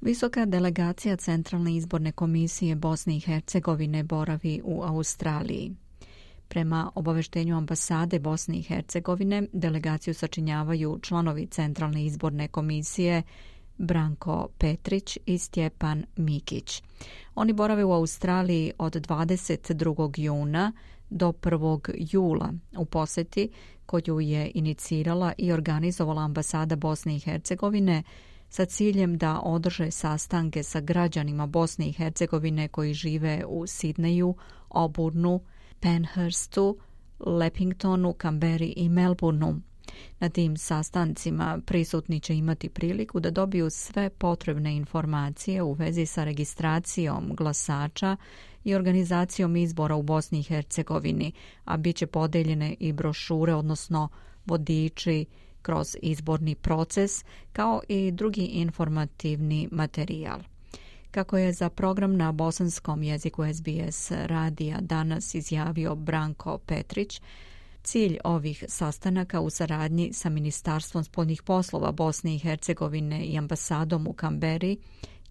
Visoka delegacija Centralne izborne komisije Bosne i Hercegovine boravi u Australiji. Prema obaveštenju ambasade Bosne i Hercegovine, delegaciju sačinjavaju članovi Centralne izborne komisije Branko Petrić i Stjepan Mikić. Oni borave u Australiji od 22. juna do 1. jula u posjeti koju je inicirala i organizovala ambasada Bosne i Hercegovine sa ciljem da održe sastanke sa građanima Bosne i Hercegovine koji žive u Sidneju, Auburnu, Penhurstu, Leppingtonu, Canberri i Melbourneu. Na tim sastancima prisutni će imati priliku da dobiju sve potrebne informacije u vezi sa registracijom glasača i organizacijom izbora u Bosni i Hercegovini, a bit će podeljene i brošure, odnosno vodiči kroz izborni proces, kao i drugi informativni materijal. Kako je za program na bosanskom jeziku SBS radija danas izjavio Branko Petrić, cilj ovih sastanaka u saradnji sa Ministarstvom spoljnih poslova Bosne i Hercegovine i ambasadom u Canberri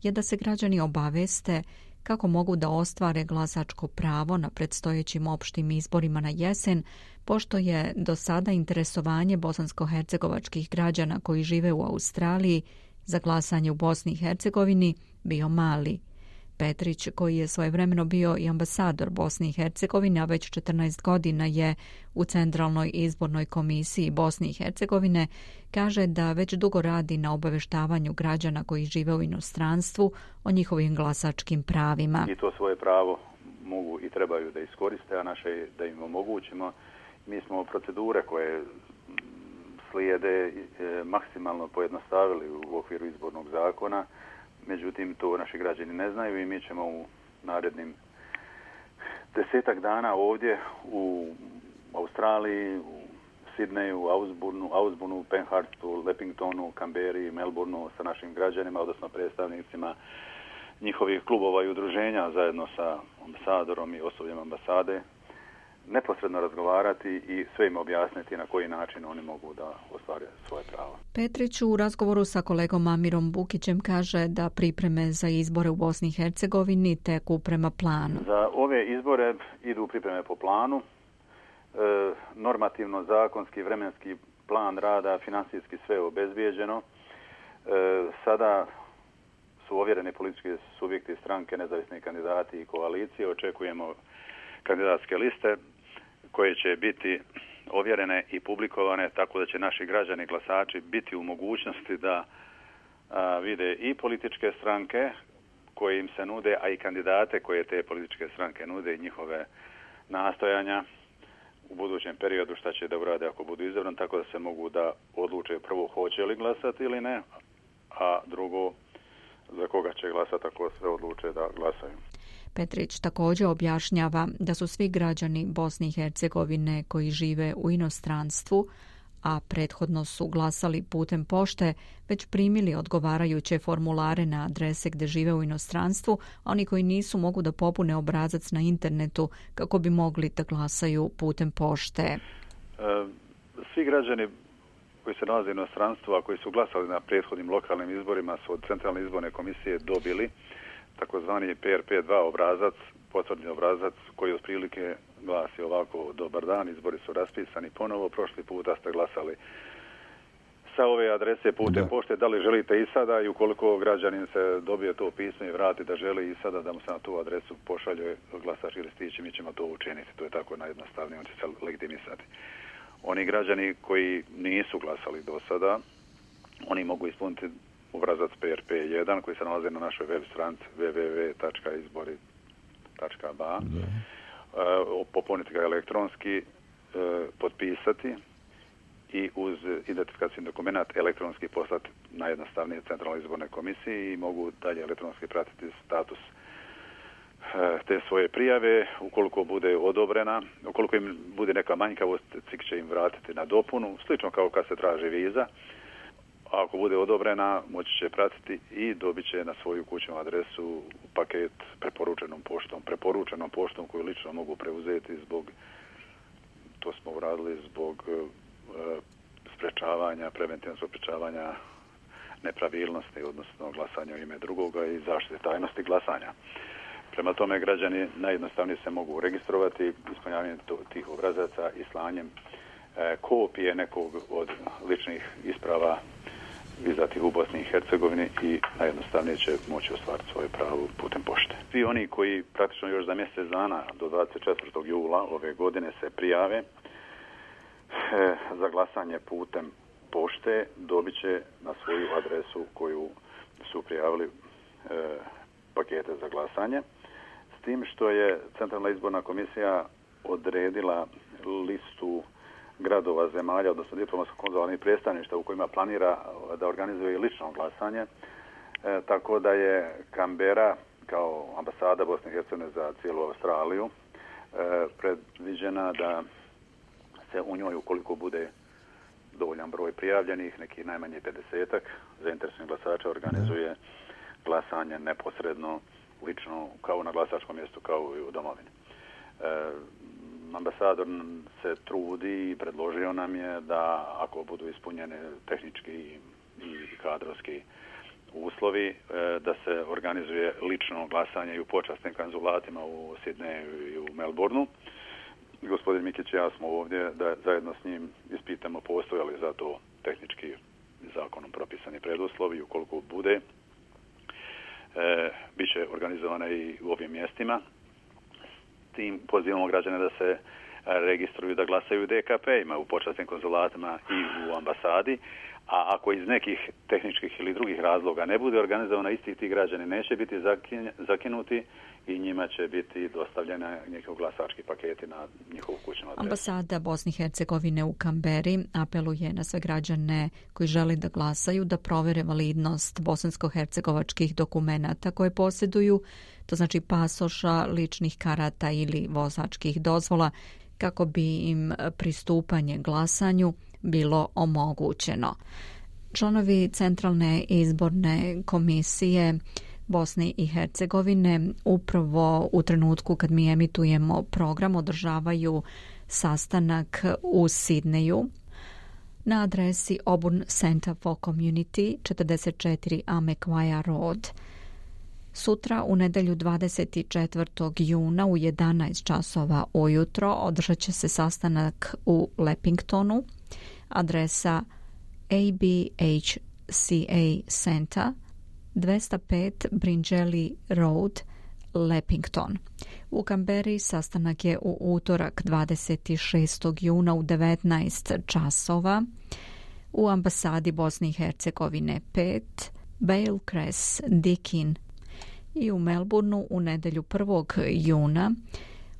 je da se građani obaveste kako mogu da ostvare glasačko pravo na predstojećim opštim izborima na jesen, pošto je do sada interesovanje bosansko-hercegovačkih građana koji žive u Australiji za glasanje u Bosni i Hercegovini bio mali. Petrić, koji je svojevremeno bio i ambasador Bosne i Hercegovine, a već 14 godina je u Centralnoj izbornoj komisiji Bosne i Hercegovine, kaže da već dugo radi na obaveštavanju građana koji žive u inostranstvu o njihovim glasačkim pravima. I to svoje pravo mogu i trebaju da iskoriste, a naše je da im omogućimo. Mi smo procedure koje slijede maksimalno pojednostavili u okviru izbornog zakona. Međutim, to naši građani ne znaju i mi ćemo u narednim 10 dana ovdje u Australiji, u Sidneju, Auburnu, Penhurstu, Leppingtonu, Canberri, Melbourneu sa našim građanima, odnosno predstavnicima njihovih klubova i udruženja zajedno sa ambasadorom i osobljem ambasade neposredno razgovarati i sve im objasniti na koji način oni mogu da ostvare svoje pravo. Petrić u razgovoru sa kolegom Amirom Bukićem kaže da pripreme za izbore u Bosni i Hercegovini teku prema planu. Za ove izbore idu pripreme po planu. Normativno, zakonski, vremenski plan rada, finansijski sve obezbijeđeno. Sada su ovjereni politički subjekti, stranke, nezavisni kandidati i koalicije. Očekujemo kandidatske liste koje će biti ovjerene i publikovane tako da će naši građani glasači biti u mogućnosti da vide i političke stranke koje im se nude, a i kandidate koje te političke stranke nude i njihove nastojanja u budućem periodu šta će da urade ako budu izabrani, tako da se mogu da odluče prvo hoće li glasati ili ne, a drugo za koga će glasati ako sve odluče da glasaju. Petrić također objašnjava da su svi građani Bosne i Hercegovine koji žive u inostranstvu, a prethodno su glasali putem pošte, već primili odgovarajuće formulare na adrese gdje žive u inostranstvu, a oni koji nisu mogu da popune obrazac na internetu kako bi mogli da glasaju putem pošte. Svi građani koji se nalaze u inostranstvu, a koji su glasali na prethodnim lokalnim izborima, su od Centralne izborne komisije dobili takozvani PRP2 obrazac, potvrdni obrazac koji otprilike glasi ovako: dobar dan, izbori su raspisani ponovo, prošli puta ste glasali sa ove adrese putem pošte, da li želite i sada, i ukoliko građanin se dobije to pismo i vrati da želi i sada da mu se na tu adresu pošalje glasački listić, mi ćemo to učiniti. To je tako najjednostavnije, on će se legitimisati. Oni građani koji nisu glasali do sada, oni mogu ispuniti obrazac PRP1 koji se nalazi na našoj web stranici www.izbori.ba, popuniti ga elektronski, potpisati i uz identifikacijni dokument elektronski poslati najjednostavnije Centralnoj izbornoj komisiji i mogu dalje elektronski pratiti status te svoje prijave. Ukoliko bude odobrena, ukoliko im bude neka manjkavost, CIK će im vratiti na dopunu, slično kao kad se traži viza. A ako bude odobrena, moći će pratiti i dobit će na svoju kućnu adresu paket preporučenom poštom koju lično mogu preuzeti to smo uradili zbog preventivnog sprečavanja nepravilnosti, odnosno glasanja u ime drugoga i zaštite tajnosti glasanja. Prema tome, građani najjednostavnije se mogu registrovati ispunjavanjem tih obrazaca i slanjem kopije nekog od ličnih isprava izdatih u Bosni i Hercegovini i najjednostavnije će moći ostvariti svoje pravo putem pošte. Svi oni koji praktično još za mjesec dana do 24. jula ove godine se prijave za glasanje putem pošte dobit će na svoju adresu koju su prijavili pakete za glasanje. S tim što je Centralna izborna komisija odredila listu gradova, zemalja, odnosno diplomatsko-konzularnih predstavništva u kojima planira da organizuje lično glasanje, tako da je Kambera kao ambasada Bosne i Hercegovine za cijelu Australiju predviđena da se u njoj, ukoliko bude dovoljan broj prijavljenih, neki najmanje 50-ak zainteresovanih glasača, organizuje glasanje neposredno, lično, kao na glasačkom mjestu, kao i u domovini. Ambasador se trudi i predložio nam je da ako budu ispunjene tehnički i kadrovski uslovi, da se organizuje lično glasanje i u počasnim konzulatima u Sidneju i u Melbourneu. Gospodin Mikić i ja smo ovdje da zajedno s njim ispitamo postoje li za to tehnički zakonom propisani preduslovi i ukoliko bude, bit će organizovana i u ovim mjestima. Tim pozivamo građane da se registruju da glasaju u DKP-ima, u počasnim konzulatima i u ambasadi, a ako iz nekih tehničkih ili drugih razloga ne bude organizovana, isti ti građani neće biti zakinuti i njima će biti dostavljena njihov glasački paketi na njihovu kućnu adresu. Ambasada Bosne i Hercegovine u Kamberi apeluje na sve građane koji žele da glasaju da provere validnost bosansko-hercegovačkih dokumenata koje posjeduju, to znači pasoša, ličnih karata ili vozačkih dozvola, kako bi im pristupanje glasanju bilo omogućeno. Članovi Centralne izborne komisije Bosne i Hercegovine upravo u trenutku kad mi emitujemo program održavaju sastanak u Sidneju na adresi Auburn Center for Community 44 Amekwaya Road. Sutra u nedjelju 24. juna u 11 časova ujutro održat će se sastanak u Leppingtonu, adresa ABHCA Center 205 Bringelly Road, Leppington. U Kamberi sastanak je u utorak 26. juna u 19 časova u ambasadi Bosne i Hercegovine 5 Bale Cress Dikin i u Melbourneu u nedjelju 1. juna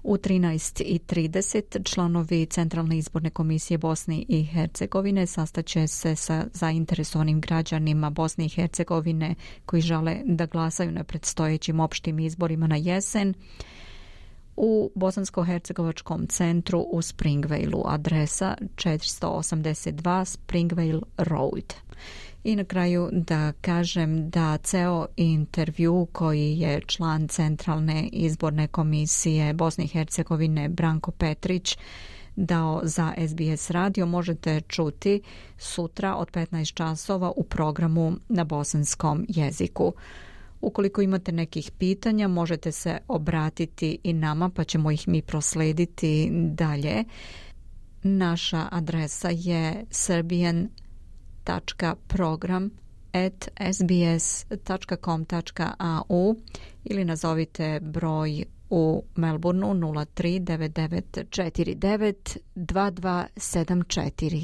u 13:30 članovi Centralne izborne komisije Bosne i Hercegovine sastaće se sa zainteresovanim građanima Bosne i Hercegovine koji žele da glasaju na predstojećim opštim izborima na jesen u Bosansko-hercegovačkom centru u Springvaleu, adresa 482 Springvale Road. I na kraju da kažem da ceo intervju koji je član Centralne izborne komisije Bosne i Hercegovine Branko Petrić dao za SBS radio možete čuti sutra od 15 časova u programu na bosanskom jeziku. Ukoliko imate nekih pitanja, možete se obratiti i nama, pa ćemo ih mi proslediti dalje. Naša adresa je serbian.program@sbs.com.au ili nazovite broj u Melbourneu 03 99 49 2274.